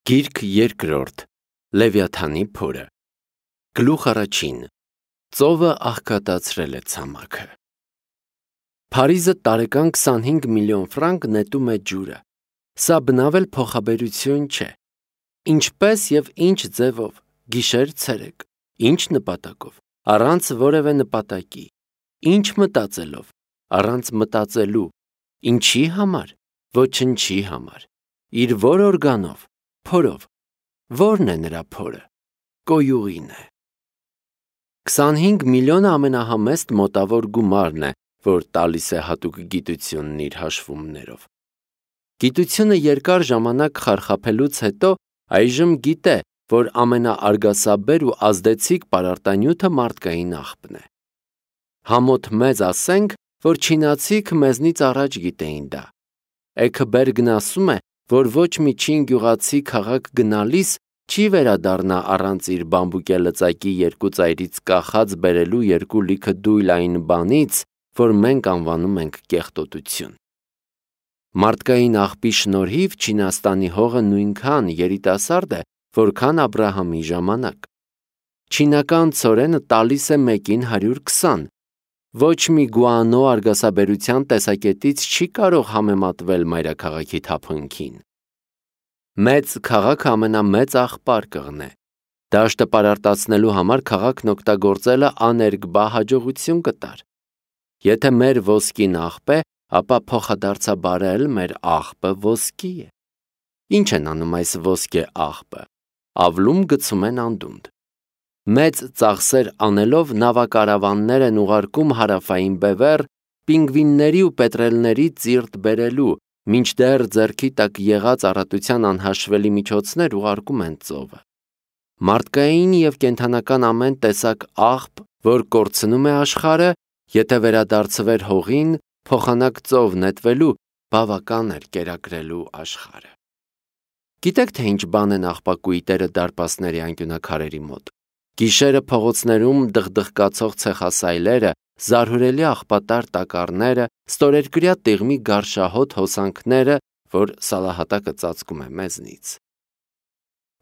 Գիրք երկրորդ Լևիաթանի փորը Գլուխ առաջին Ծովը աղքատացրել է ցամաքը Փարիզը տարեկան 25 միլիոն ֆրանկ նետում է ջուրը Սա բնավել փոխաբերություն չէ Ինչպես եւ ինչ ձևով Գիշեր ցերեկ Ինչ նպատակով Առանց որևէ նպատակի Ինչ մտածելով Առանց մտածելու Ինչի համար Ոչնչի համար Իր որ օրգանով Փորով Որն է նրա փորը Կոյուղին է 25 միլիոնը ամենահամեստ մոտավոր գումարն է, որ տալիս է հատուկ գիտությունն իր հաշվումներով։ Գիտությունը երկար ժամանակ խարխափելուց հետո այժմ գիտե, որ ամենաարգասաբեր ու ազդեցիկ պարարտանյութը մարդկային աղբն է։ Համոթ մեզ ասենք, որ չինացիք մեզնից առաջ գիտեին դա։ Էքբերգն ասում է, որ ոչ մի չին գյուղացի քաղաք գնալիս չի վերադառնա առանց իր բամբուկե լծակի երկու ծայրից կախած բերելու երկու լիքը դույլ այն բանից, որ մենք անվանում ենք կեղտոտություն։ Մարդկային աղբի շնորհիվ Չինաստանի հողը նույնքան երիտասարդ է, որքան Աբրահամի ժամանակ։ Չինական ցորենը տալիս է մեկին 120։ Ոչ մի գուանո արգասաբերության տեսակետից չի կարող համեմատվել մայրաքաղաքի թափոնքին։ Մեծ քաղաքը ամենամեծ աղբարկղն է։ Դաշտը պարարտացնելու համար քաղաքն օգտագործելը աներկբա հաջողություն կտար։ Եթե մեր ոսկին աղբ է, ապա փոխադարձաբար մեր աղբը ոսկի է։ Ինչ են անում այս ոսկե աղբը։ Ավլում գցում են անդունդ։ Մեծ ծախսեր անելով նավակարավաններ են ուղարկում հարավային բևեռ, պինգվինների ու պետրելների ծիրտ բերելու, մինչդեռ ձեռքի տակ եղած առատության անհաշվելի միջոցներ ուղարկում են ծովը։ Մարդկային և կենդանական ամեն տեսակ աղբ, որ կորցնում է աշխարհը, եթե վերադարձվեր հողին, փոխանակ ծով նետվելու, բավական էր կերակրելու աշխարհը։ Գիտեք, թե ինչ բան են աղբակույտերը դարպասների անկյունաքարերի մոտ։ Գիշերը փողոցներում դղդղկացող ցեխասայլերը, զարհուրելի աղբատար տակառները, ստորերկրյա տիղմի գարշահոտ հոսանքները, որ սալահատակը ծածկում է մեզնից։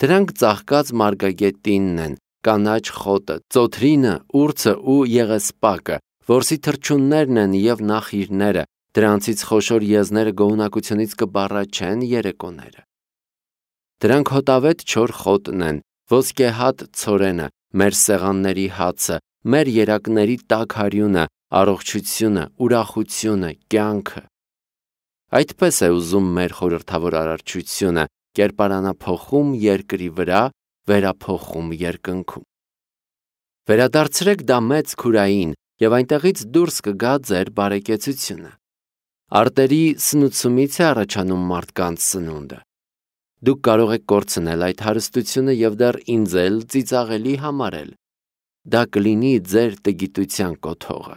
Դրանք ծաղկած մարգագետինն են, կանաչ խոտը, ծոթրինը, ուրցը ու եղեսպակը, որսի թռչուններն են և նախիրները, դրանցից խոշոր եզները գոհունակությունից կբառաչեն երեկոները։ Դրանք հոտավետ չոր խոտն են, ոսկեհատ ցորենը, մեր սեղանների հացը, մեր երակների տաք հարյունը, առողջությունը, ուրախությունը, կյանքը։ Այդպես է ուզում մեր խորհրդավոր արարչությունը, կերպարանափոխում երկրի վրա, վերափոխում երկնքում։ Վերադարձրեք դա մեծ քուրային, և այնտեղից դուրս կգա ձեր բարեկեցությունը։ Արտերի սնուցումից է առաջանում մարդկանց սնունդը։ Դուք կարող եք կորցնել այդ հարստությունը և դեռ ինձ էլ ծիծաղելի համարել։ Դա կլինի ձեր տգիտության կոթողը։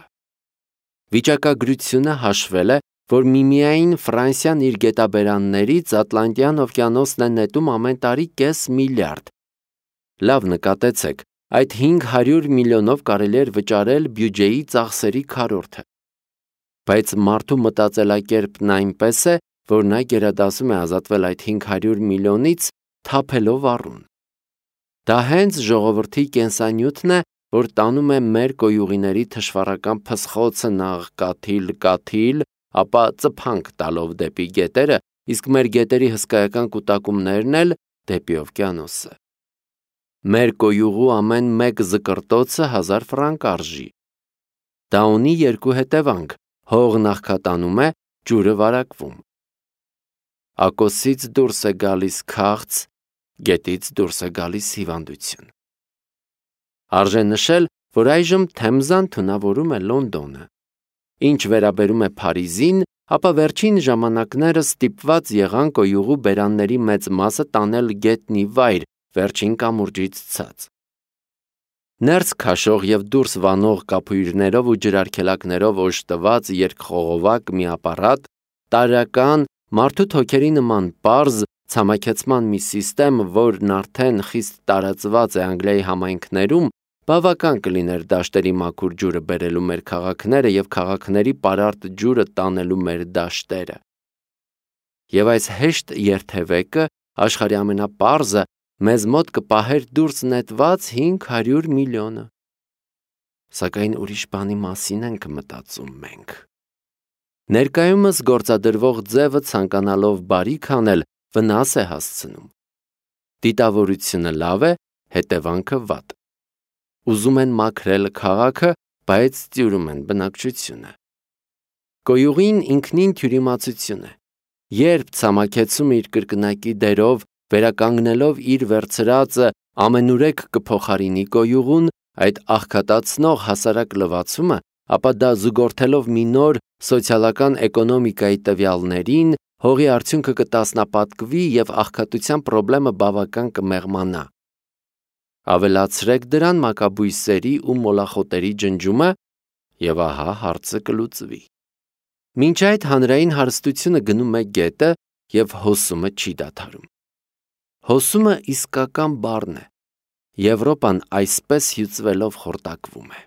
Վիճակագրությունը հաշվել է, որ միմիայն Ֆրանսիան իր գետաբերաններից Ատլանտյան օվկիանոսն է նետում ամեն տարի կես միլիարդ։ Լավ նկատեցեք, այդ 500 միլիոնով կարելի էր վճարել բյուջեի ծախսերի քառորդը։ Բայց մարդու մտածելակերպն այնպես է, որ նա գերադասում է ազատվել այդ 500 միլիոնից թափելով առուն։ Դա հենց ժողովրդի կենսանյութն է, որ տանում է մեր կոյուղիների թշվառական փսխոցը նախ կաթիլ, ապա ծփանք տալով դեպի գետերը, իսկ մեր գետերի հսկայական կուտակումներն էլ դեպի օվկիանոսը։ Մեր կոյուղու ամեն մեկ զկրտոցը 1000 ֆրանկ արժի։ Դա ունի երկու հետևանք. հողն աղքատանում է, ջուրը վարակվում։ Ակոսից դուրս է գալիս քաղց, գետից դուրս է գալիս հիվանդություն։ Արժե նշել, որ այժմ Թեմզան թունավորում է Լոնդոնը։ Ինչ վերաբերում է Փարիզին, ապա վերջին ժամանակներս ստիպված եղան կոյուղու բերանների մեծ մասը տանել գետնի վայր, վերջին կամուրջից ցած։ Ներս քաշող և դուրս վանող կափույրներով ու ջրարգելակներով օժտված երկխողովակ մի ապարատ, տարրական, մարդու թոքերի նման պարզ, ցամաքեցման մի սիստեմ, որն արդեն խիստ տարածված է Անգլիայի համայնքներում, բավական կլիներ դաշտերի մաքուր ջուրը բերելու մեր քաղաքները և քաղաքների պարարտ ջուրը տանելու մեր դաշտերը։ Եվ այս հեշտ երթևեկը աշխարհի ամենապարզը, մեզ մոտ կպահեր դուրս նետված 500 միլիոնը։ Սակայն ուրիշ բանի մասին ենք մտածում մենք։ Ներկայումս գործադրվող ձևը ցանկանալով բարիք անել վնաս է հասցնում։ Դիտավորությունը լավ է, հետևանքը վատ։ Ուզում են մաքրել քաղաքը, բայց ծյուրում են բնակչությունը։ Գոյուղին ինքնին թյուրիմացություն է։ Երբ ցամաքեցում իր կրկնակի դերով, վերականգնելով իր վերցրածը, ամենուրեք կփոխարինի գոյուղուն, այդ աղքատացնող հասարակ լվացումը, ապա դա զուգորդելով մի նոր սոցիալական էկոնոմիկայի տվյալներին, հողի արդյունքը կտասնապատկվի և աղքատության պրոբլեմը բավական կմեղմանա։ Ավելացրեք դրան մակաբույսերի ու մոլախոտերի ջնջումը, և ահա հարցը կլուծվի։ Մինչ այդ հանրային հարստությունը գնում է գետը և հոսումը չի դադարում։ Հոսումը իսկական բառն է։ Եվրոպան այսպես հյուծվելով խորտակվում է։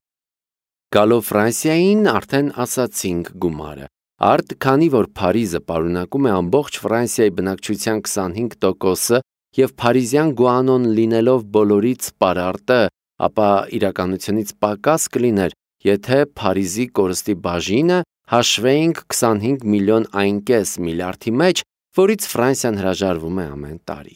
Գալով Ֆրանսիային արդեն ասացինք գումարը։ Արդ քանի որ Փարիզը պարունակում է ամբողջ Ֆրանսիայի բնակչության 25%-ը և Փարիզյան գուանոն լինելով բոլորից պարարտը, ապա իրականությունից պակաս կլիներ, եթե Փարիզի կորստի բաժինը հաշվեինք 25 միլիոն այնկես միլիարդի մեջ, որից Ֆրանսիան հրաժարվում է ամեն տարի։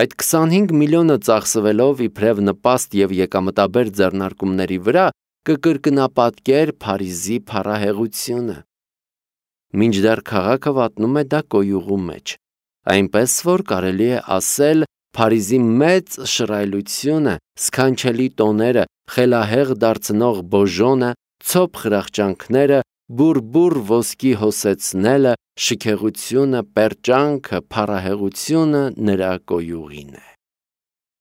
Այդ 25 միլիոնը ծախսվելով իբրև նպաստ և եկամտաբեր ձեռնարկումների վրա կկրկնապատկեր Փարիզի փառահեղությունը։ Մինչդեռ քաղաքը վատնում է դա գոյուղու մեջ, այնպես որ կարելի է ասել Փարիզի մեծ շռայլությունը, սքանչելի տոները, խելահեղ դարձնող բոժոնը, ցոփ խրախճանքները, բուռ ոսկի հոսեցնելը, շքեղությունը, պերճանքը, փառահեղությունը նրա գոյուղին է։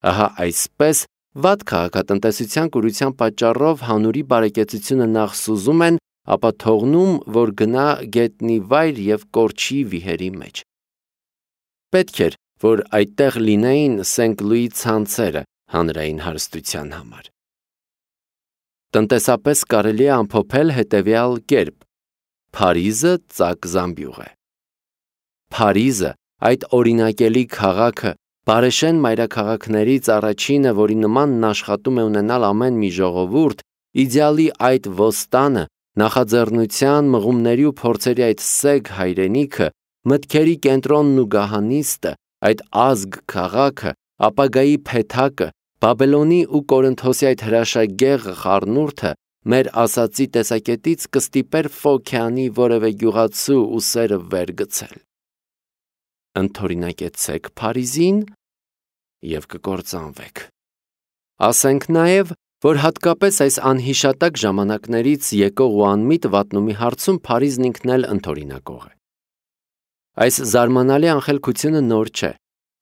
Ահա այսպես վատ քաղաքատնտեսության կուրության պատճառով հանուրի բարեկեցությունը նախ սուզում են, ապա թողնում, որ գնա գետնի վայր և կորչի վիհերի մեջ։ Պետք էր, որ այդտեղ լինեին Սենք-Լուի ցանցերը հանրային հարստության համար։ Տնտեսապես կարելի է ամփոփել հետևյալ կերպ. Փարիզը ծակ զամբյուղ է։ Փարիզը, այդ օրինակելի քաղաքը, բարեշեն մայրաքաղաքներից առաջինը, որի նմանն աշխատում է ունենալ ամեն մի ժողովուրդ, իդեալի այդ ոստանը, նախաձեռնության, մղումների ու փորձերի այդ սեգ հայրենիքը, մտքերի կենտրոնն ու գահանիստը, այդ ազգ քաղաքը, ապագայի փեթակը, Բաբելոնի ու Կորինթոսի այդ հրաշագեղ խառնուրդը մեր ասածի տեսակետից կստիպեր Ֆոքյանի որևէ գյուղացու ուսերը վեր գցել։ Ընդօրինակեցեք Փարիզին և կկործանվեք։ Ասենք նաև, որ հատկապես այս անհիշատակ ժամանակներից եկող ու անմիտ վատնումի հարցում Փարիզն ինքն էլ ընդօրինակող է։ Այս զարմանալի անխելքությունը նոր չէ,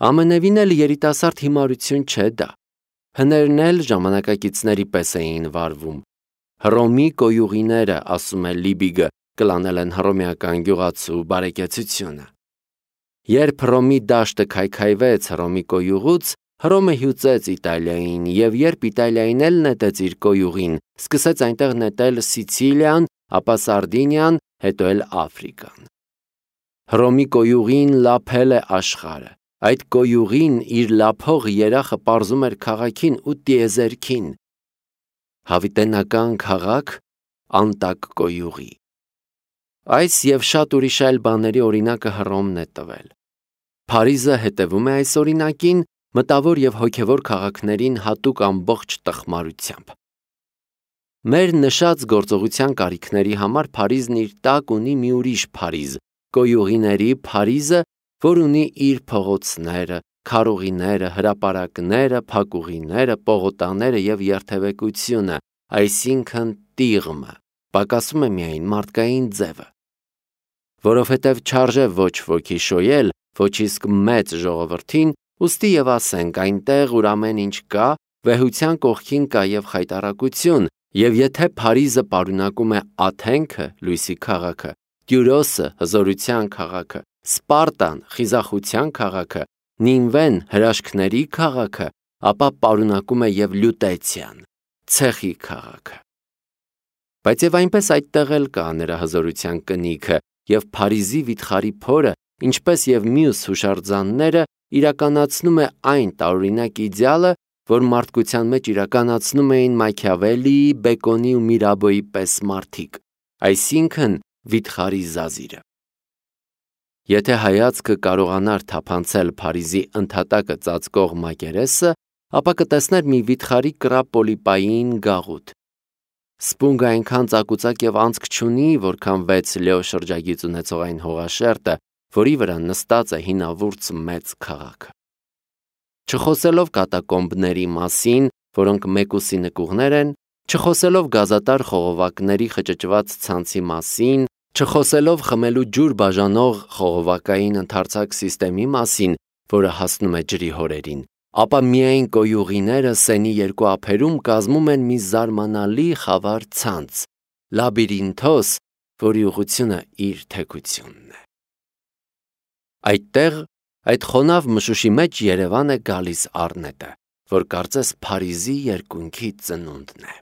ամենևին էլ երիտասարդ հիմարություն չէ դա։ Հներն էլ ժամանակակիցների պես էին վարվում։ Հռոմի գոյուղիները, ասում է Լիբիգը, կլանել են հռոմեական գյուղացու բարեկեցությունը։ Երբ Հռոմի դաշտը քայքայվեց Հռոմի գոյուղուց, Հռոմը հյուծեց Իտալիային, և երբ Իտալիային էլ նետեց իր գոյուղին, սկսեց այնտեղ նետել Սիցիլիան, ապա Սարդինիան, հետո էլ Աֆրիկան։ Հռոմի գոյուղին լափել է աշխարհը։ Այդ գոյուղին իր լափող երախը պարզում էր քաղաքին ու տիեզերքին։ Հավիտենական քաղաք անտակ գոյուղի։ Այս և շատ ուրիշ այլ բաների օրինակը Հռոմն է տվել։ Փարիզը հետևում է այս օրինակին, մտավոր և հոգևոր քաղաքներին հատուկ ամբողջ տխմարությամբ։ Մեր նշած գործողության կարիքների համար Փարիզն իր տակ ունի մի ուրիշ Փարիզ, գոյուղիների Փարիզը, որ ունի իր փողոցները, քարուղիները, հրապարակները, փակուղիները, պողոտաները և երթևեկությունը, այսինքն տիղմը, պակասում է միայն մարդկային ձևը։ Որովհետև չարժե ոչ ոքի շոյել, ոչ իսկ մեծ ժողովրդին, ուստի և ասենք այնտեղ, ուր ամեն ինչ կա, վեհության կողքին կա և խայտառակություն, և եթե Փարիզը պարունակում է Աթենքը, լույսի քաղաքը, Տյուրոսը, հզորության քաղաքը, Սպարտան, խիզախության քաղաքը, Նինվեն, հրաշքների քաղաքը, ապա պարունակում է և Լյուտեցիան, ցեխի քաղաքը։ Բայց և այնպես այդտեղ էլ կա նրա հզորության կնիքը, և Փարիզի վիթխարի փորը ինչպես եւ մյուս հուշարձանները, իրականացնում է այն տարօրինակ իդեալը, որ մարդկության մեջ իրականացնում էին Մաքիավելլիի, Բեկոնի ու Միրաբոյի պես մարդիկ, այսինքն վիթխարի զազիրը։ Եթե հայացքը կարողանար թափանցել Փարիզի ընդհատակը ծածկող մակերեսը, ապա կտեսներ մի վիթխարի կրապոլիպային գաղութ։ Սպունգը այնքան ծակուցակ եւ անցք չունի, որքան 6 լեո շրջագիծ ունեցող այն հողաշերտը, որի վրա նստած է հինավուրց մեծ քաղաքը։ Չխոսելով կատակոմբների մասին, որոնք մեկուսի նկուղներ են, չխոսելով գազատար խողովակների խճճված ցանցի մասին, չխոսելով խմելու ջուր բաժանող խողովակային ընդարձակ սիստեմի մասին, որը հասնում է ջրի հորերին, ապա միայն կոյուղիները Սենի երկու ափերում կազմում են մի զարմանալի խավար ցանց, լաբիրինթոս, որի ուղղությունը իր թեքությունն է։ Այդտեղ, այդ խոնավ մշուշի մեջ Երևան է գալիս առնետը, որ կարծես Փարիզի երկունքի ծնունդն է։